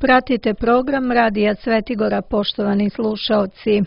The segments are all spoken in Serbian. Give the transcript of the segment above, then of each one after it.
Pratite program Radija Svetigora, poštovani slušaoci.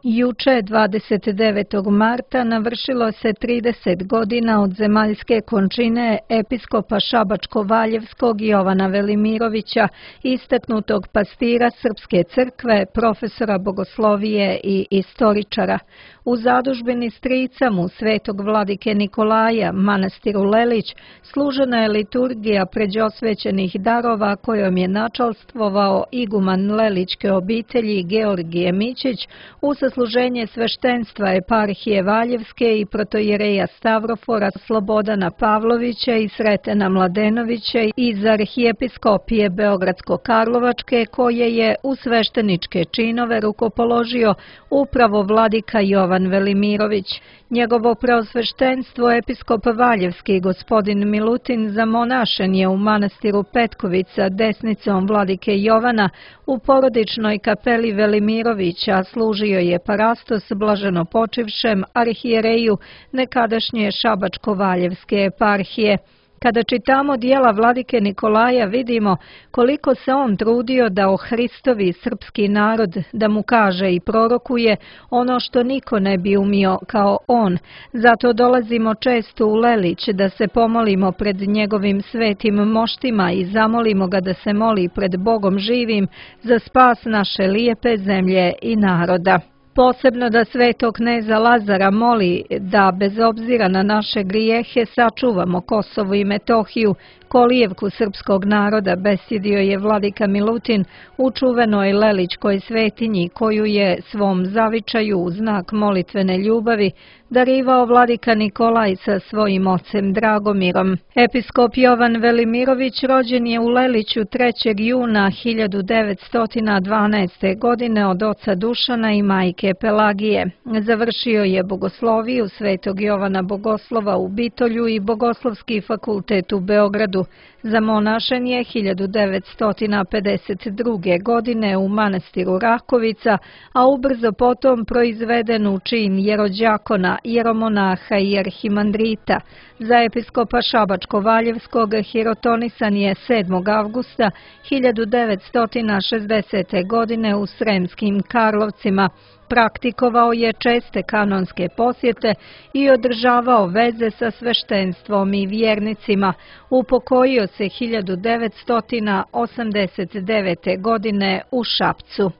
Juče, 29. marta, navršilo se 30 godina od zemaljske končine episkopa Šabačko-Valjevskog Jovana Velimirovića, istaknutog pastira Srpske crkve, profesora bogoslovije i istoričara. U zadužbini strica mu svetog vladike Nikolaja, manastiru Lelić, služena je liturgija pređosvećenih darova kojom je načalstvovao iguman Lelićke obitelji Georgije Mićić u sasluženje sveštenstva eparhije Valjevske i protojereja Stavrofora Slobodana Pavlovića i Sretena Mladenovića iz arhijepiskopije Beogradsko-Karlovačke, koje je u svešteničke činove rukopoložio upravo vladika Jovan Velimirović. Njegovo preosveštenstvo episkop Valjevski gospodin Milutin zamonašen je u manastiru Petkovica desnicom vladike Jovana u porodičnoj kapeli Velimirovića, služio je parastos blaženo počivšem arhijereju nekadašnje Šabačko-Valjevske eparhije. Kada čitamo dijela vladike Nikolaja, vidimo koliko se on trudio da ohristovi srpski narod, da mu kaže i prorokuje ono što niko ne bi umio kao on. Zato dolazimo često u Lelić da se pomolimo pred njegovim svetim moštima i zamolimo ga da se moli pred Bogom živim za spas naše lijepe zemlje i naroda. Posebno da svetog kneza Lazara moli da bez obzira na naše grijehe sačuvamo Kosovo i Metohiju, kolijevku srpskog naroda, besjedio je vladika Milutin u čuvenoj Lelićkoj svetinji koju je svom zavičaju u znak molitvene ljubavi darivao vladika Nikolaj sa svojim ocem Dragomirom. Episkop Jovan Velimirović rođen je u Leliću 3. juna 1912. godine od oca Dušana i majke Pelagije. Završio je bogosloviju Svetog Jovana Bogoslova u Bitolju i Bogoslovski fakultet u Beogradu. Zamonašen je 1952. godine u manastiru Rakovica, a ubrzo potom proizveden u čin jerođakona, jeromonaha i arhimandrita. Za episkopa Šabačko-Valjevskog hirotonisan je 7. avgusta 1960. godine u Sremskim Karlovcima. Praktikovao je česte kanonske posjete i održavao veze sa sveštenstvom i vjernicima. Upokojio se 1989. godine u Šapcu.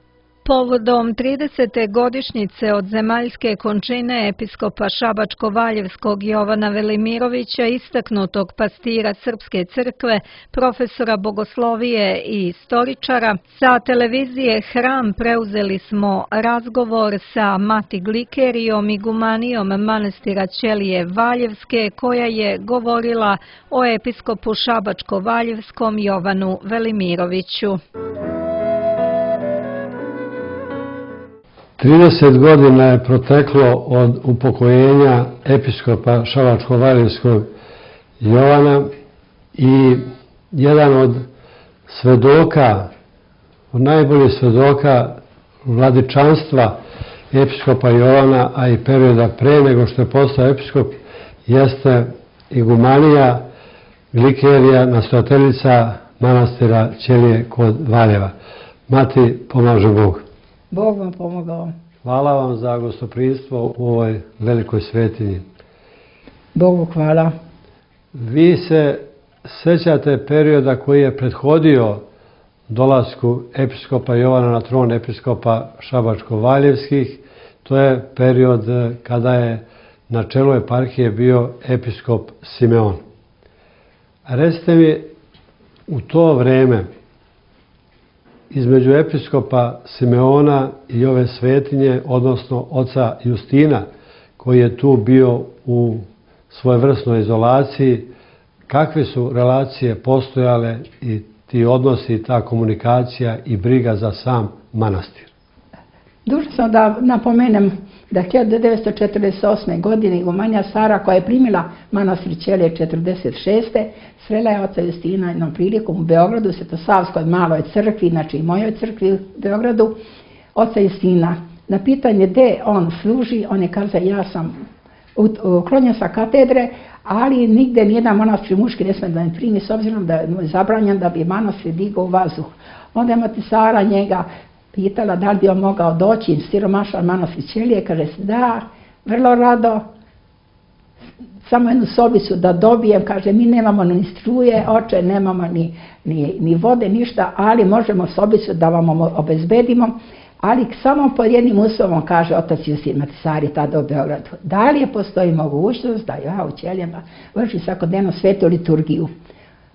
Povodom 30. godišnjice od zemaljske končine episkopa Šabačko-Valjevskog Jovana Velimirovića, istaknutog pastira Srpske crkve, profesora bogoslovije i istoričara, sa televizije Hram preuzeli smo razgovor sa mati Glikerijom, igumanijom manastira Ćelije Valjevske, koja je govorila o episkopu Šabačko-Valjevskom Jovanu Velimiroviću. 30 godina je proteklo od upokojenja episkopa Šabačko-Valjevskog Jovana i jedan od svedoka, od najboljih svedoka vladičanstva episkopa Jovana, a i perioda pre nego što je postao episkop, jeste igumanija Glikerija, nastojateljica manastira Ćelije kod Valjeva. Mati, pomaže Bog. Bog vam pomogao. Hvala vam za gostoprimstvo u ovoj velikoj svetinji. Bogu hvala. Vi se sećate perioda koji je prethodio dolasku episkopa Jovana na tron episkopa Šabačko-Valjevskih. To je period kada je na čelu eparhije bio episkop Simeon. Recite mi, u to vreme, između episkopa Simeona i ove svetinje, odnosno oca Justina, koji je tu bio u svojevrsnoj izolaciji, kakve su relacije postojale i ti odnosi, ta komunikacija i briga za sam manastir? Dužna sam da napomenem da 1948. godine igumanija Sara, koja je primila manastir Ćelije 1946. srela je oca Justina jednom prilikom u Beogradu, Svetosavskoj maloj crkvi, znači i mojoj crkvi u Beogradu. oca Justina. Na pitanje gde on služi, on je kazao ja sam uklonjen sa katedre, ali nigde nijedan monastir muški ne sme da me primi s obzirom da je zabranjen da bi manastir digao u vazduh. Onda je mati Sara njega pitala da li bi on mogao doći siromašan manastir Ćelije, kaže da, vrlo rado, samo jednu sobicu da dobijem, kaže mi nemamo ni struje, oče, nemamo ni vode, ništa, ali možemo sobicu da vam obezbedimo, ali samo pod jednim uslovom, kaže otac Justin Matisari tada u Beogradu. Da li je postoji mogućnost da ja u Ćelijama vršim svakodnevno svetu liturgiju?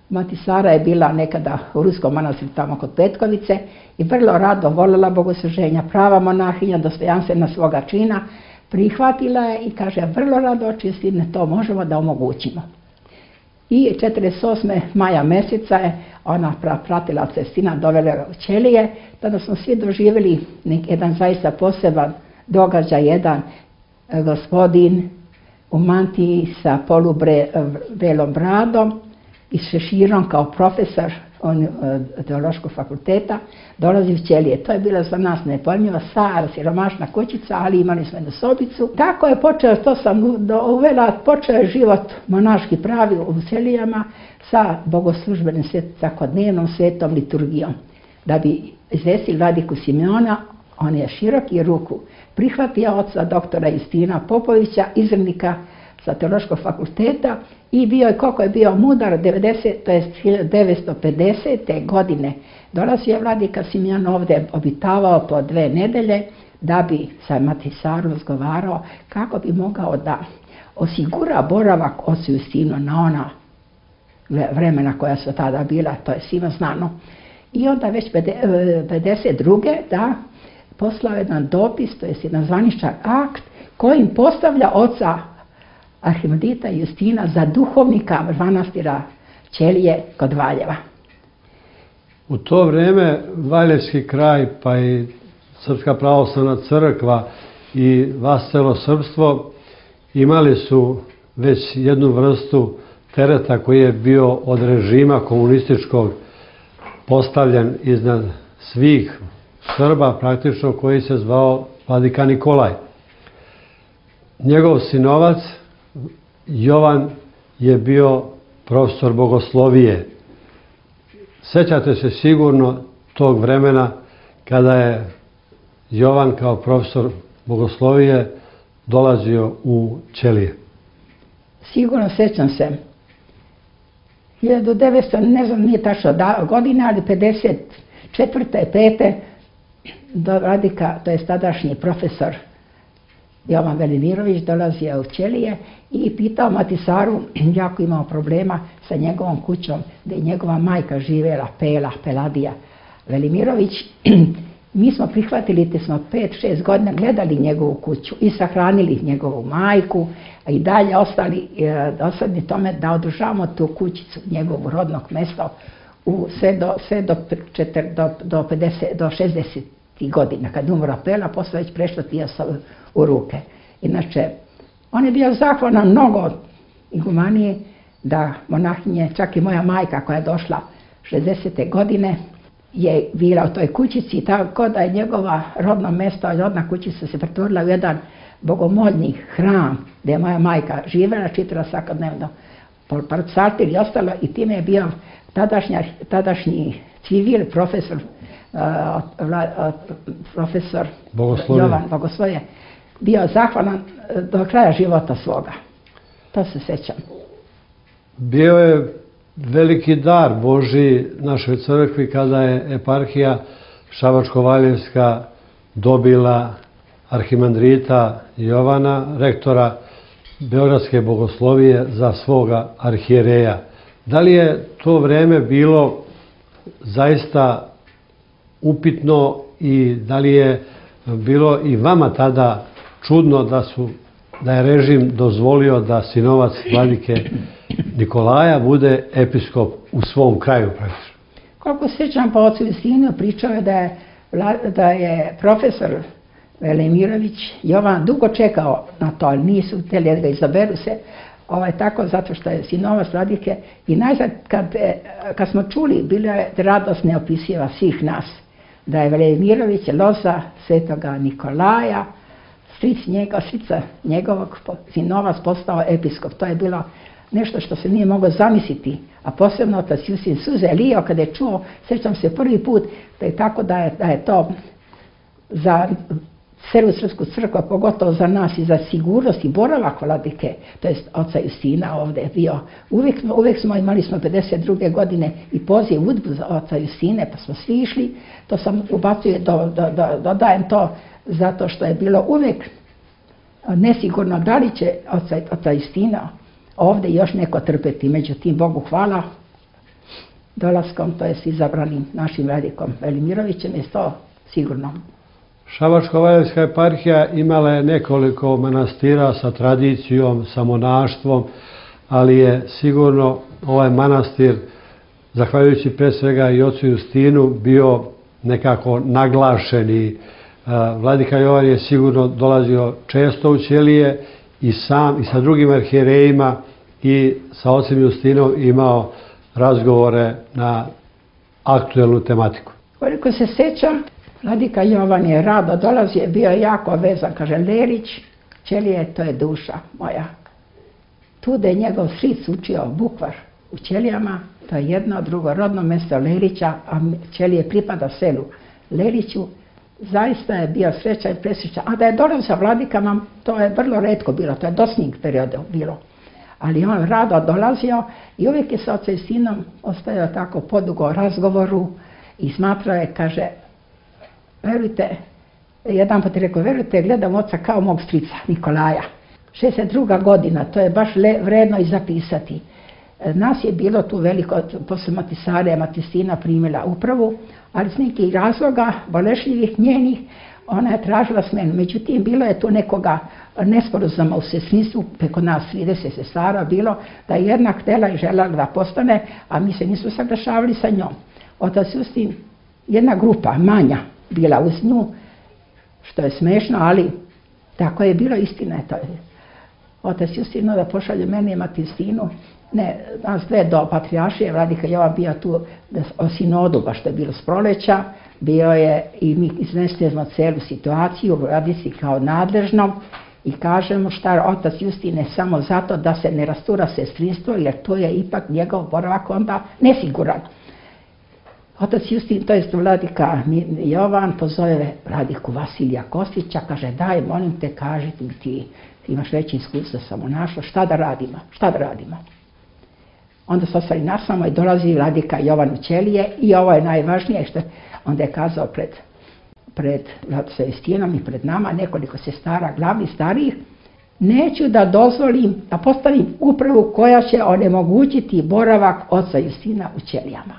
Matisara je bila nekada u Ruskom manastiru tamo kod Petkovice i vrlo rado voljela bogosluženja, prava monahinja, dostojanstvena svoga čina, prihvatila je i kaže vrlo rado oče Justine to možemo da omogućimo. I 48. maja meseca je ona pratila oca Justina, dovela u Ćelije, tada smo svi doživjeli jedan zaista poseban događaj, jedan gospodin u mantiji sa polubelom bradom i šeširom kao profesor teološkog fakulteta dolazi u Ćelije. To je bila za nas nepojmljiva, stara, siromašna kućica, ali imali smo jednu sobicu. Tako je počeo, to sam uvela, počeo je život monaški pravi u Ćelijama sa bogoslužbenim svakodnevnom svetom liturgijom. Da bi izvestili vladiku Simeona, on je široki ruku prihvatio oca doktora Justina Popovića, izvrnika sa teološkog fakulteta i bio je, koliko je bio mudar, 1950. godine dolazio je vladika Simeon ovdje, obitavao po 2 nedelje da bi sa Matisarom razgovarao kako bi mogao da osigura boravak ocu Justinu na ona vremena koja su tada bila, to je svima znano. I onda već 52. da poslao jedan dopis, to je jedan zvaničan akt kojim postavlja oca arhimandrita Justina za duhovnika manastira Ćelije kod Valjeva. U to vrijeme Valjevski kraj pa i Srpska pravoslavna crkva i vascelo srpstvo imali su već jednu vrstu tereta koji je bio od režima komunističkog postavljen iznad svih Srba, praktično, koji se zvao vladika Nikolaj. Njegov sinovac Jovan je bio profesor bogoslovije. Sećate se sigurno tog vremena kada je Jovan kao profesor bogoslovije dolazio u Ćelije. Sigurno sećam se. 1900, ne znam, nije tačno godine, ali 54. 5. do vladika, to je tadašnji profesor Jovan Velimirović, dolazio u Ćelije i pitao Matisaru, jako imao problema sa njegovom kućom, gdje je njegova majka živjela, Peladija Velimirović. Mi smo prihvatili, te smo 5-6 godina gledali njegovu kuću i sahranili njegovu majku, a i dalje ostali tome da održavamo tu kućicu, njegovu rodnog mesta, sve do 60. godina. Kad umro Pela, posle već prešlo Tijasa u ruke. Inače, on je bio zahvalan mnogo igumanije da monahinje, čak i moja majka koja je došla 60. godine, je bila u toj kućici, tako da je njegova rodno mesto, rodna kućica se pretvorila u jedan bogomolni hram gdje je moja majka živjela, čitala svakodnevno psaltir i ostalo, i time je bio tadašnji civil, profesor Jovan Bogoslovije, bio zahvalan do kraja života svoga. To se sećam. Bio je veliki dar Božji našoj crkvi kada je eparhija Šabačko-Valjevska dobila arhimandrita Jovana, rektora Beogradske bogoslovije, za svoga arhijereja. Da li je to vreme bilo zaista upitno i da li je bilo i vama tada čudno da je režim dozvolio da sinovac vladike Nikolaja bude episkop u svom kraju praktično? Koliko sećam po ocu Justinu, pričao je da je profesor Velimirović Jovan dugo čekao na to, ali nisu htjeli da ga izaberu se, tako zato što je sinovac vladike. I najzad kad smo čuli, bila je radost neopisiva svih nas da je Velimirović loza svetoga Nikolaja, strica njegovog sinovac postao episkop. To je bilo nešto što se nije moglo zamisliti, a posebno otac Justin suze lio kada je čuo, sjećam se prvi put, da je tako da je to za celu srpsku crkvu, pogotovo za nas i za sigurnost i boravak vladike, to jest oca Justina ovdje bio. Uvijek smo imali 52. godine i poziv udbu za oca Justine, pa smo svi išli. To sam ubacujem, dodajem to zato što je bilo uvijek nesigurno da li će oca Justina ovdje još neko trpeti. Međutim, Bogu hvala, dolaskom, to jest izabranim našim vladikom Velimirovićem, je to sigurno. Šabačko-valjevska eparhija imala je nekoliko manastira sa tradicijom, sa monaštvom, ali je sigurno ovaj manastir, zahvaljujući pre svega i ocu Justinu, bio nekako naglašen i vladika Jovan je sigurno dolazio često u Ćelije i sam i sa drugim arhijerejima i sa ocem Justinom imao razgovore na aktuelnu tematiku. Koliko se sjećam, vladika Jovan je rado dolazio, bio je jako vezan, kaže Lerić, Ćelije, to je duša moja. Tu da je njegov stric učio bukvar u Ćelijama, to je jedno, drugo rodno mjesto Lerića, a Ćelije pripada selu Leriću. Zaista je bio srećan i presrećan. A da je dolazio sa vladikama, to je vrlo retko bilo, to je dosadnih perioda bilo. Ali on rado dolazio i uvijek je sa ocem Justinom ostajao tako podugo razgovoru i smatrao je, kaže, verujte, jedan put je rekao, verujte, gledam oca kao mog strica Nikolaja. 62. godina, to je baš vredno i zapisati. Nas je bilo tu veliko, posle Matisare, Matistina primila upravu, ali s nekih razloga, bolešljivih njenih, ona je tražila smenu. Međutim, bilo je tu nekoga nesporazuma u sestrinstvu, preko nas 30 sestara bilo, da je jedna htjela i željela da postane, a mi se nisu saglašavali sa njom. Otac Justin, jedna grupa manja bila uz nju, što je smešno, ali tako je bilo, istina je to. Otac Justin da pošalje mene i Matistinu, ne, nas dve do patrijaršije, vladika Jovan bio tu o sinodu, baš što je bilo s proleća, bio je i mi iznesemo celu situaciju, vladici kao nadležnom i kažemo šta otac Justin samo zato da se ne rastura sestrinstvo, jer to je ipak njegov boravak onda nesiguran. Otac Justin, to je vladika Jovan, pozove vladiku Vasilija Kostića, kaže daj, molim te, kaži ti imaš veće iskustvo sa monaštvom, šta da radimo? Onda se ostali nasamo i dolazi vladika Jovan u Ćelije i ovo je najvažnije što onda je kazao pred vladicom Justinom i pred nama, nekoliko sestara, glavnih starijih, neću da dozvolim da postavim upravu koja će onemogućiti boravak oca Justina u Ćelijama.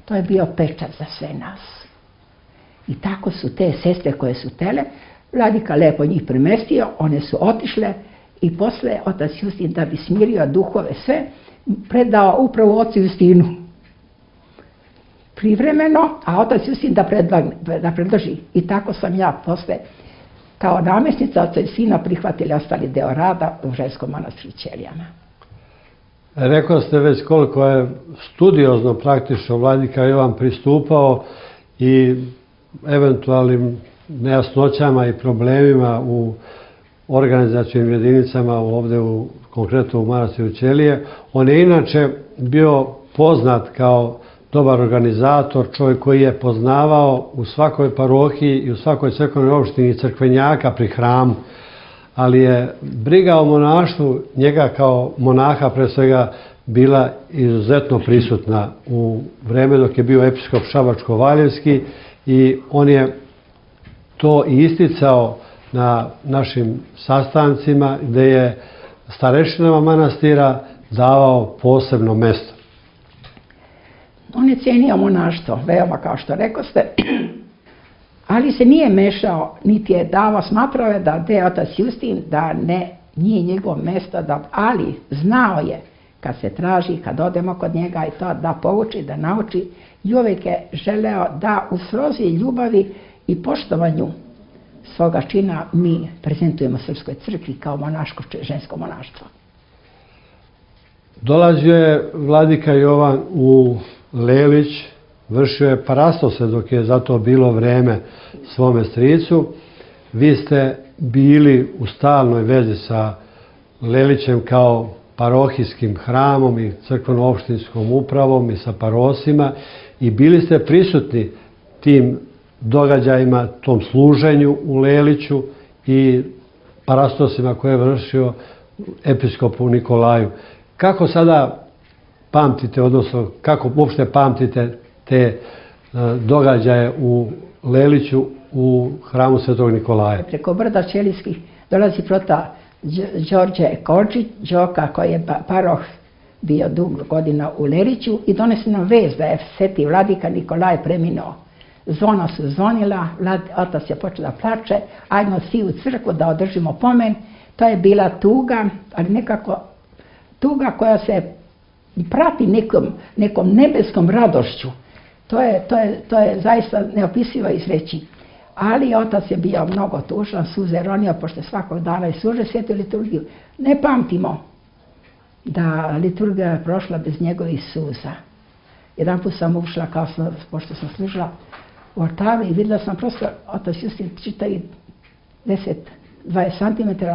To je bio pečat za sve nas. I tako su te sestre koje su tele, vladika lepo njih primestio, one su otišle i posle otac Justin, da bi smirio duhove sve, predao upravo ocu Justinu. Privremeno, a otac Justin da predloži. I tako sam ja posle, kao namjesnica oca Justina, prihvatili ostali deo rada u ženskom manastiru Ćelijama. Rekao ste već koliko je studiozno praktično vladika Jovan pristupao i eventualnim nejasnoćama i problemima u organizacijnim jedinicama ovdje konkretno u manastiru Ćelije. On je inače bio poznat kao dobar organizator, čovjek koji je poznavao u svakoj parohiji i u svakoj crkvenoj opštini crkvenjaka pri hramu, ali je briga o monaštvu njega kao monaha pre svega bila izuzetno prisutna u vreme dok je bio episkop Šabačko-valjevski i on je to i isticao na našim sastancima gdje je starešinama manastira davao posebno mjesto. On je cijenio monaštvo, veoma kao što rekoste, ali se nije mešao, niti je davao, smatrao je da je otac Justin, da nije njegov mjesto, ali znao je kad se traži, kad odemo kod njega i to da pouči, da nauči i uvijek je želeo da u slozi ljubavi i poštovanju svoga čina mi prezentujemo Srpskoj crkvi kao monaško žensko monaštvo. Dolazio je vladika Jovan u Lelić, vršio je parastose dok je za to bilo vreme svome stricu. Vi ste bili u stalnoj vezi sa Lelićem kao parohijskim hramom i crkveno-opštinskom upravom i sa parosima i bili ste prisutni tim događajima, tom služenju u Leliću i parastosima koje je vršio episkopu Nikolaju. Kako sada pamtite, odnosno kako uopšte pamtite te događaje u Leliću u hramu Svetog Nikolaja? Preko brda Ćelijskih dolazi prota Đorđe Kočić, Đoka koji je paroh bio dugo godina u Leliću i donesi nam vez da je sveti vladika Nikolaj preminuo. Zvona su zvonila, otac je počeo da plače, ajmo svi u crkvu da održimo pomen. To je bila tuga, ali nekako tuga koja se prati nekom nebeskom radošću. To je zaista neopisivo izreći. Ali otac je bio mnogo tužan, suze ronio, pošto svakog dana je služio svetu liturgiju. Ne pamtimo da liturgija je prošla bez njegovih suza. Jedan put sam ušla, pošto sam služila u oltaru i vidjela sam prosto, otac Justin čita i 10-20 cm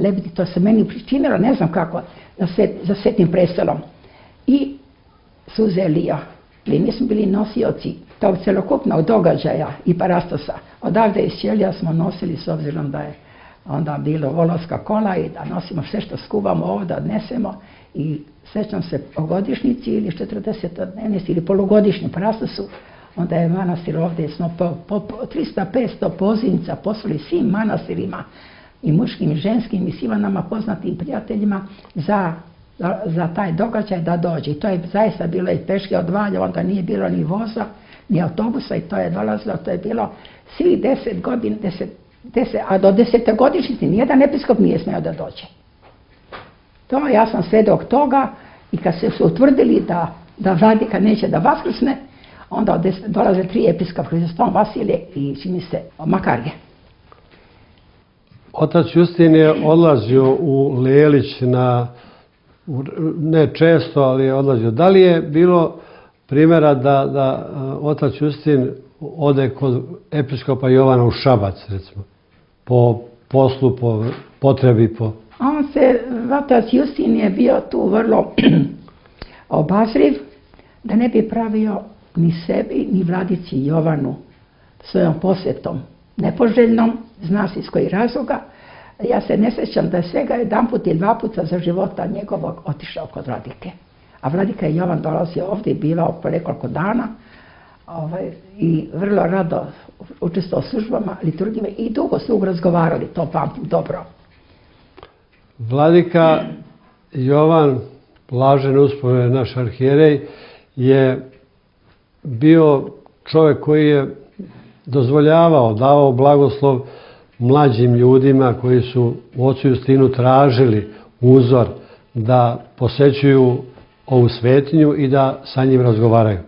lebiti, to se meni pričinilo, ne znam kako, za svetim prestolom. I suze lio. Mi smo bili nosioci tog celokupnog događaja i parastosa. Odavde iz Ćelija smo nosili, s obzirom da je onda bilo volovska kola i da nosimo sve što skuvamo ovdje, odnesemo. I sećam se o godišnjici ili 40-dnevnici ili polugodišnjem parastosu, onda je manastir ovdje, smo po 300-500 pozivnica poslali svim manastirima i muškim i ženskim i svima nama poznatim prijateljima za taj događaj da dođe. I to je zaista bilo i peške od Valja, onda nije bilo ni voza, ni autobusa i to je dolazilo, to je bilo svih 10 godina, a do 10-godišnjice nijedan episkop nije smeo da dođe. To, ja sam svedok toga i kad su utvrdili da vladika neće da vaskrsne, onda dolaze 3 episkopa, Hristom Vasilije i čini se Makarije. Otac Justin je odlazio u Lelić ne često, ali je odlazio. Da li je bilo primjera da otac Justin ode kod episkopa Jovana u Šabac, recimo, po poslu, po potrebi, Otac Justin je bio tu vrlo obazriv, da ne bi pravio ni sebi, ni vladici Jovanu svojom posjetom nepoželjnom, zna se iz kojih razloga. Ja se ne sjećam da je svega 1 put ili 2 puta za života njegovog otišao kod vladike. A vladika je Jovan dolazio ovdje i bivao po nekoliko dana i vrlo rado učestvovao u službama, liturgijama i dugo su razgovarali, to pamtim dobro. Vladika Jovan, blažen uspomene naš arhijerej, je bio čovjek koji je dozvoljavao, davao blagoslov mlađim ljudima koji su u ocu Justinu tražili uzor da posećuju ovu svetinju i da sa njim razgovaraju.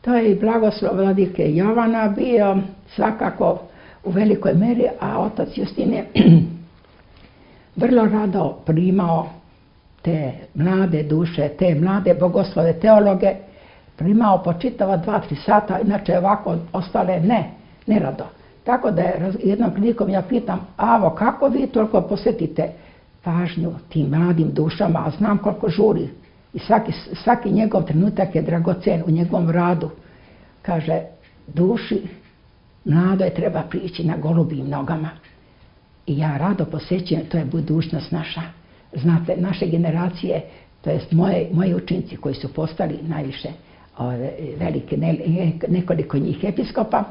To je i blagoslov vladike Jovana bio svakako u velikoj meri, a otac Justin je vrlo rado primao te mlade duše, te mlade bogoslove, teologe, primao po čitava 2-3 sata, inače ovako ostale ne rado. Tako da je jednom prilikom ja pitam, Avo, kako vi toliko posvetite pažnju tim mladim dušama, a znam koliko žuri i svaki njegov trenutak je dragocen u njegovom radu. Kaže, duši mladoj treba prići na golubim nogama. I ja rado posjećujem, to je budućnost naša. Znate, naše generacije, to jest moji učinci koji su postali najviše velike, nekoliko njih episkopa,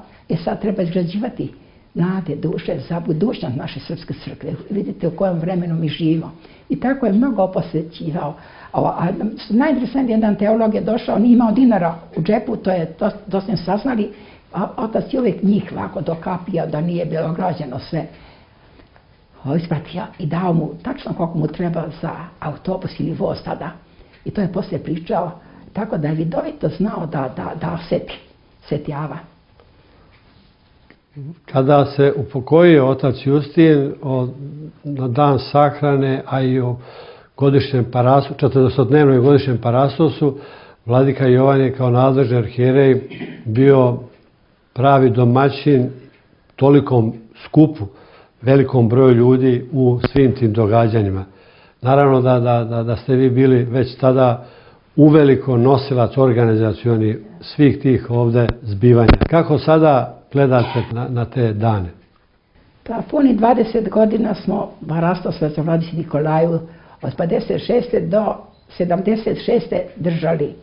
sad treba izgrađivati mlade duše za budućnost naše srpske crkve. Vidite u kojem vremenu mi živimo. I tako je mnogo posvećivao. Najinteresantniji jedan teolog je došao, nije imao dinara u džepu, to smo saznali, a otac je uvijek njih ovako dokapio da nije bilo građeno sve. Ispratio i dao mu tačno koliko mu treba za autobus ili voz tada. I to je poslije pričao, tako da je vidovito znao da osjeti Ava. Kada se upokojio otac Justin na dan sahrane, a i o godišnjem parastosu, 40-dnevnom godišnjem parastosu, Vladika Jovan je kao nadležni arhijerej bio pravi domaćin tolikom skupu, velikom broju ljudi u svim tim događanjima. Naravno da ste vi bili već tada uveliko nosilac organizacioni svih tih ovde zbivanja. Kako sada gledate na te dane? Pa puni 20 godina smo Parastos za Vladici Nikolaju od 56. do 76. držali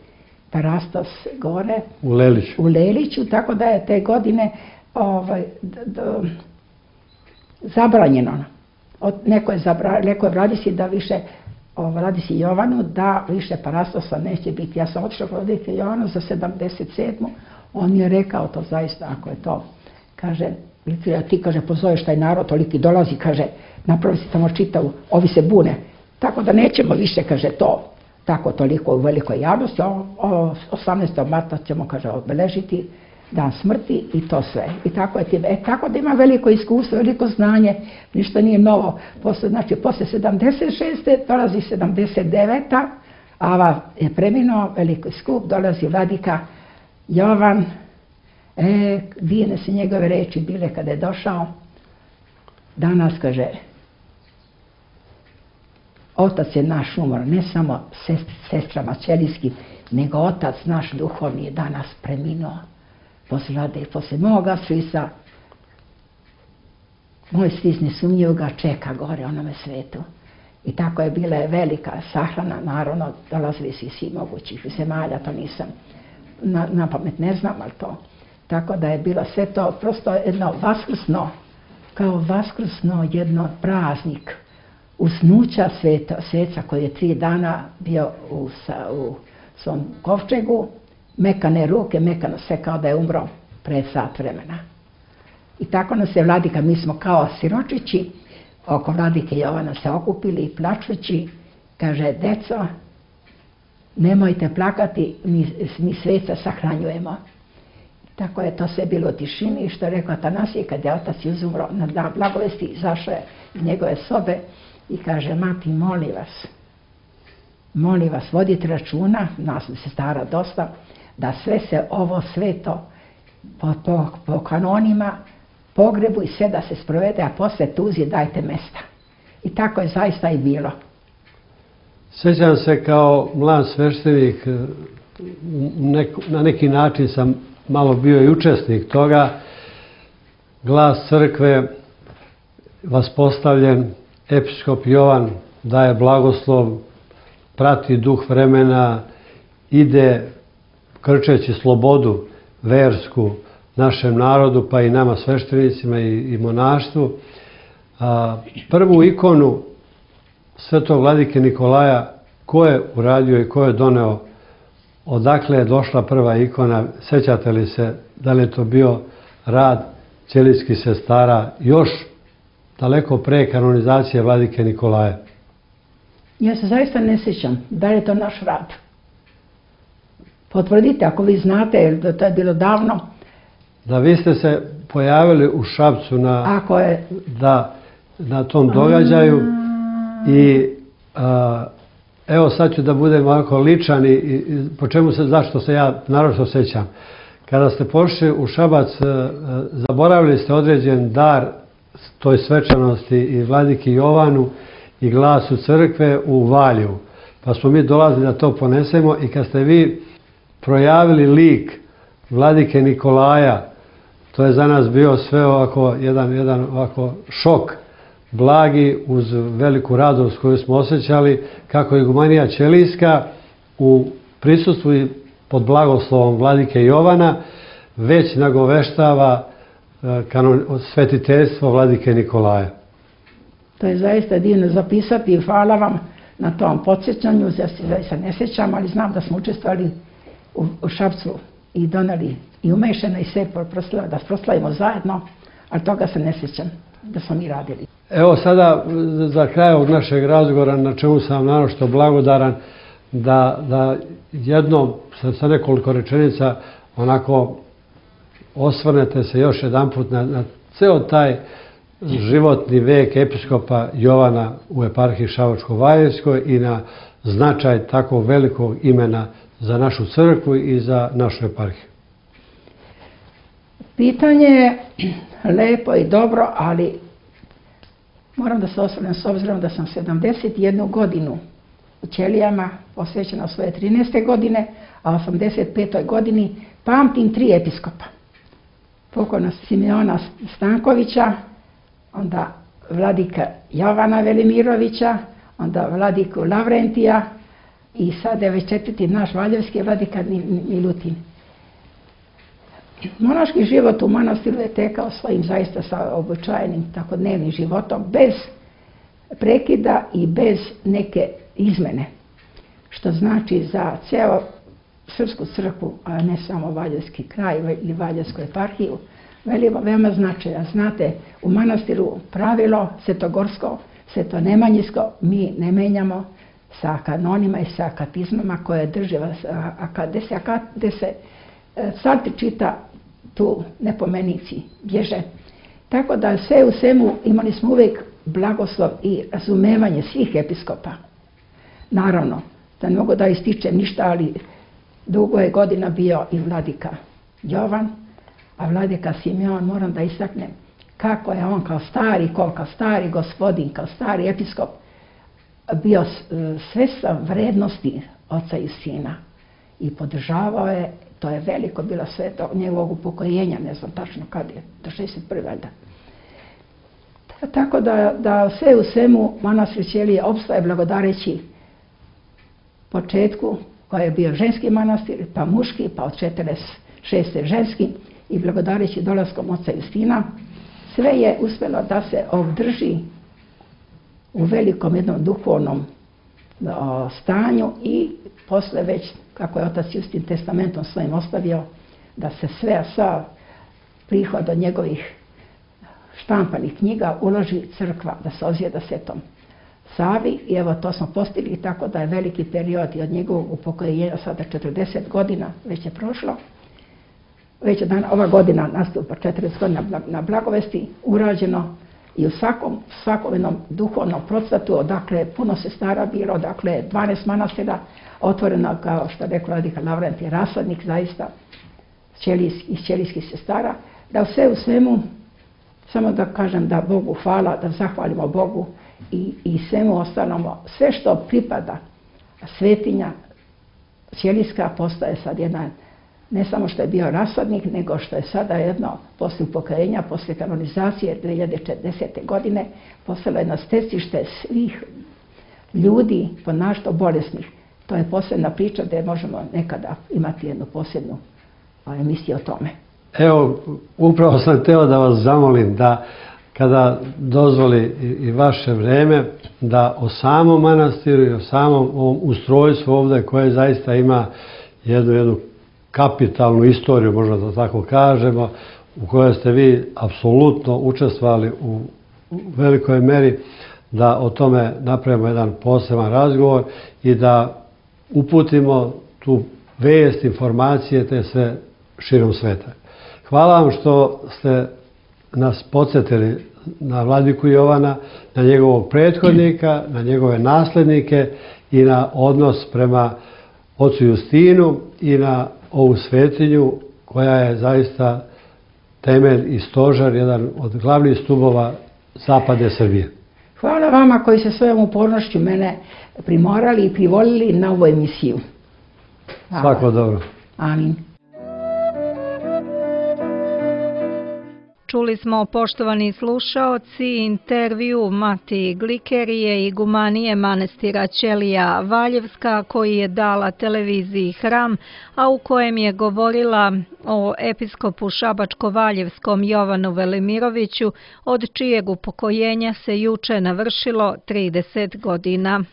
Parastos gore u Leliću, tako da je te godine zabranjeno. Neko je Vladici da više Vladici Jovanu da više Parastosa neće biti. Ja sam otišla Vladike Jovanu za 77. On mi je rekao to zaista, ako je to, kaže, ti, kaže, pozoveš taj narod, toliki dolazi, kaže, napravi si tamo čitavu, ovi se bune, tako da nećemo više, kaže, to, tako toliko u velikoj javnosti, 18. marta ćemo, kaže, obeležiti dan smrti i to sve. I tako je time. Tako da ima veliko iskustvo, veliko znanje, ništa nije novo. Znači, posle 76. dolazi 79. Ava je preminuo, veliki skup, dolazi Vladika Jovan. Divne se njegove reči bile kada je došao. Danas, kaže, otac je naš umor, ne samo sestrama ćelijskim, nego otac naš duhovni je danas preminuo. Posle moga svisa, moj sis nesumnjivo ga čeka gore onome svetu. I tako je bila velika sahrana, naravno, dolazili su iz svih mogućih zemalja, to nisam na pamet ne znam, ali to. Tako da je bilo sve to prosto jedno vaskrsno, kao vaskrsno jedno praznik usnuća sveca koji je 3 dana bio u svom kovčegu, mekane ruke, mekano sve kao da je umro pred sat vremena. I tako nas je Vladika, mi smo kao siročići oko Vladike Jovana se okupili i plačući, kaže, deco, nemojte plakati, mi sveca sahranjujemo. Tako je to sve bilo u tišini i što je rekao Atanasije, kad je otac izumro na dan blagovesti, izašao je iz njegove sobe i kaže, mati, molim vas, vodite računa, nas se stara dosta, da sve se ovo sveto po kanonima, pogrebu i sve da se sprovede, a posle tuzi dajte mesta. I tako je zaista i bilo. Sjećam se kao mlad sveštenik, na neki način sam malo bio i učesnik toga, glas crkve vaspostavljen, episkop Jovan daje blagoslov, prati duh vremena, ide krčeći slobodu versku našem narodu, pa i nama sveštenicima i monaštvu. Prvu ikonu svetog vladike Nikolaja, ko je uradio i ko je doneo, odakle je došla prva ikona, sećate li se da li je to bio rad ćelijskih sestara još daleko pre kanonizacije vladike Nikolaja? Ja se zaista ne sjećam da li je to naš rad. Potvrdite ako vi znate, jer to je bilo davno. Da, vi ste se pojavili u Šapcu na tom događaju i evo sad ću da budem ovako ličan i zašto se ja naročito sećam. Kada ste pošli u Šabac, zaboravili ste određen dar toj svečanosti i vladiki Jovanu i glasu crkve u Valjevu. Pa smo mi dolazili da to ponesemo i kad ste vi projavili lik vladike Nikolaja, to je za nas bio sve ovako jedan ovako šok, blagi uz veliku radost koju smo osjećali, kako igumanija ćelijska u prisustvu i pod blagoslovom vladike Jovana već nagoveštava svetiteljstvo vladike Nikolaja. To je zaista divno zapisati i hvala vam na tom podsjećanju. Ja se zaista ne sjećam, ali znam da smo učestvovali u Šapcu i doneli i umešeno i sve da proslavimo zajedno, ali toga se ne sjećam da smo mi radili. Evo sada za kraj ovog našeg razgovora, na čemu sam naročito blagodaran, da jednom sa nekoliko rečenica onako osvrnete se još jedan put na ceo taj životni vek episkopa Jovana u eparhiji Šabačko-Valjevskoj i na značaj tako velikog imena za našu crkvu i za našu eparhiju? Pitanje je lepo i dobro, ali moram da se osvrnem s obzirom da sam 71 godinu u Ćelijama posvećena svoje 13. godine, a 85. godini pamtim 3 episkopa. Pokojnog Simeona Stankovića, onda vladika Jovana Velimirovića, onda vladiku Lavrentija i sad je već 4. naš valjevski vladika Milutin. Monaški život u manastiru je tekao svojim zaista običajenim takodnevnim životom, bez prekida i bez neke izmene. Što znači za ceo srpsku crkvu, a ne samo valjevski kraj ili valjevsku eparhiju, veoma značaja. Znate, u manastiru pravilo svetogorsko, svetonemanjinsko mi ne menjamo sa kanonima i sa katizmama koje drže, gde se psalter čita, tu nepomenici bježe. Tako da sve u svemu imali smo uvijek blagoslov i razumevanje svih episkopa. Naravno, da ne mogu da ističem ništa, ali dugo je godina bio i vladika Jovan, a vladika Simeon, moram da istaknem kako je on kao stari gospodin, kao stari episkop bio svestan vrednosti oca i sina i podržavao je. To je veliko bilo sve do njegovog upokojenja, ne znam tačno kad je, do 61. valjda. Tako da sve u svemu manastir Ćelije opstaje blagodareći početku koji je bio ženski manastir, pa muški, pa od 46. ženski i blagodareći dolaskom oca Justina, sve je uspjelo da se održi u velikom jednom duhovnom stanju i posle već, kako je otac Justin testamentom svojim ostavio, da se sva prihod od njegovih štampanih knjiga uloži crkva, da se ozijeda Svetom Savi, i evo to smo postigli, tako da je veliki period i od njegovog upokojenja sada 40 godina već je prošlo. Već je ova godina nastupa 40 godina na Blagovesti urađeno i u svakom jednom duhovnom procvatu, odakle puno sestara bilo, odakle 12 manastira otvoreno, kao što rekao vladika Lavrent, je rasadnik zaista iz ćelijskih sestara, da sve u svemu, samo da kažem da Bogu hvala, da zahvalimo Bogu i svemu ostalom, sve što pripada svetinja ćelijska postaje sad jedna, ne samo što je bio rasadnik, nego što je sada jedno, poslije upokojenja, poslije kanonizacije 2010. godine, postalo jedno stecište svih ljudi ponašto bolesnih. To je posebna priča da možemo nekada imati jednu posebnu emisiju o tome. Evo, upravo sam hteo da vas zamolim da kada dozvoli i vaše vreme, da o samom manastiru i o samom ovom ustrojstvu ovdje koje zaista ima jednu kapitalnu istoriju, možda da tako kažemo, u kojoj ste vi apsolutno učestvovali u velikoj meri, da o tome napravimo jedan poseban razgovor i da uputimo tu vijest, informacije, te sve širom sveta. Hvala vam što ste nas podsjetili na vladiku Jovana, na njegovog prethodnika, na njegove naslednike i na odnos prema ocu Justinu i na ovu svetinju koja je zaista temelj i stožar, jedan od glavnih stubova zapadne Srbije. Hvala vama koji ste svojom upornošću mene primorali i privolili na ovu emisiju. Svako dobro. Amin. Čuli smo, poštovani slušaoci, intervju Matije Glikerije, igumanije manastira Ćelija Valjevska, koji je dala televiziji Hram, a u kojem je govorila o episkopu Šabačko-Valjevskom Jovanu Velimiroviću, od čijeg upokojenja se juče navršilo 30 godina.